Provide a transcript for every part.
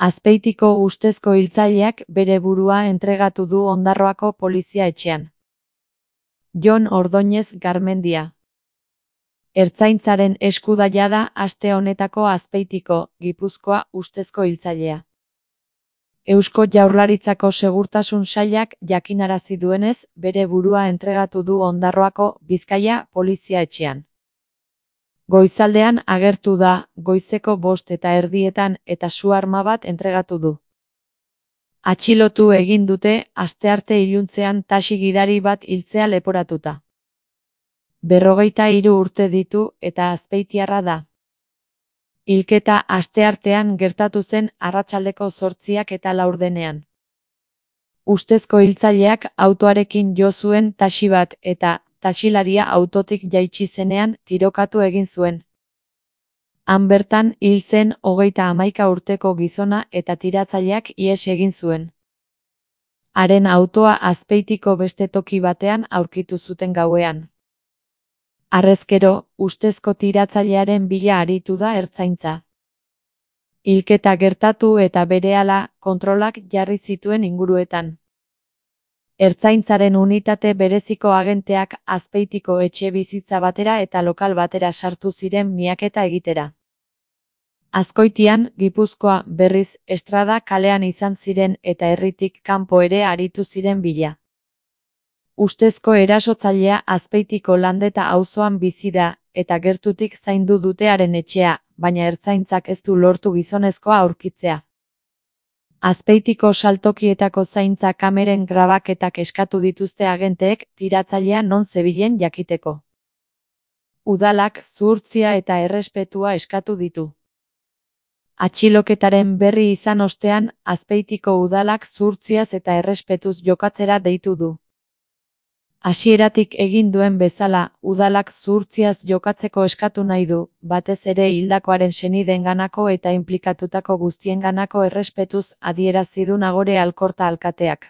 Azpeitiko ustezko hiltzaileak bere burua entregatu du Ondarroako polizia etxean. Jon Ordóñez Garmendia. Ertzaintzaren esku da jada aste honetako Azpeitiko, Gipuzkoa ustezko hiltzailea. Eusko Jaurlaritzako Segurtasun Sailak jakinarazi duenez, bere burua entregatu du Ondarroako Bizkaia polizia etxean. Goizaldean agertu da, goizeko 5:30 eta su-arma bat entregatu du. Atxilotu egin dute, astearte iluntzean taxi gidari bat hiltzea leporatuta. 53 urte ditu eta azpeitiarra da. Hilketa asteartean gertatu zen arratsaldeko 8:04. Ustezko hiltzaileak autoarekin jo zuen taxi bat eta taxilaria autotik jaitsi zenean tirokatu egin zuen. Han bertan hil zen 31 urteko gizona eta tiratzaileak ihes egin zuen. Haren autoa Azpeitiko beste toki batean aurkitu zuten gauean. Harrezkero, ustezko tiratzailearen bila aritu da ertzaintza. Hilketa gertatu eta berehala kontrolak jarri zituen inguruetan. Ertzaintzaren unitate bereziko agenteak Azpeitiko etxe bizitza batera eta lokal batera sartu ziren miaketa egitera. Azkoitian, Gipuzkoa, berriz, Estrada kalean izan ziren eta herritik kanpo ere aritu ziren bila. Ustezko erasotzailea Azpeitiko Landeta auzoan bizi da, eta gertutik zaindu dute haren etxea, baina ertzaintzak ez du lortu gizonezkoa aurkitzea. Azpeitiko saltokietako zaintza kameren grabaketak eskatu dituzte agenteek tiratzailea non zebilen jakiteko. Udalak zuhurtzia eta errespetua eskatu ditu. Atxiloketaren berri izan ostean, Azpeitiko udalak zuhurtziaz eta errespetuz jokatzera deitu du. Hasieratik egin duen bezala, udalak zuhurtziaz jokatzeko eskatu nahi du, batez ere hildakoaren senideenganako eta inplikatutako guztienganako errespetuz adierazi du Nagore Alkorta alkateak.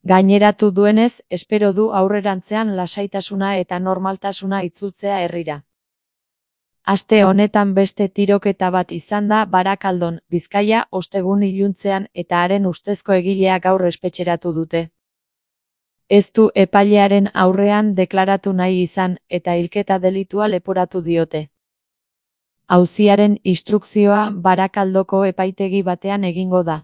Gaineratu duenez, espero du aurrerantzean lasaitasuna eta normaltasuna itzultzea herrira. Aste honetan beste tiroketa bat izan da Barakaldon, Bizkaia, ostegun iluntzean eta haren ustezko egilea gaur espetxeratu dute. Ez du epailearen aurrean deklaratu nahi izan eta hilketa delitua leporatu diote. Auziaren instrukzioa Barakaldoko epaitegi batean egingo da.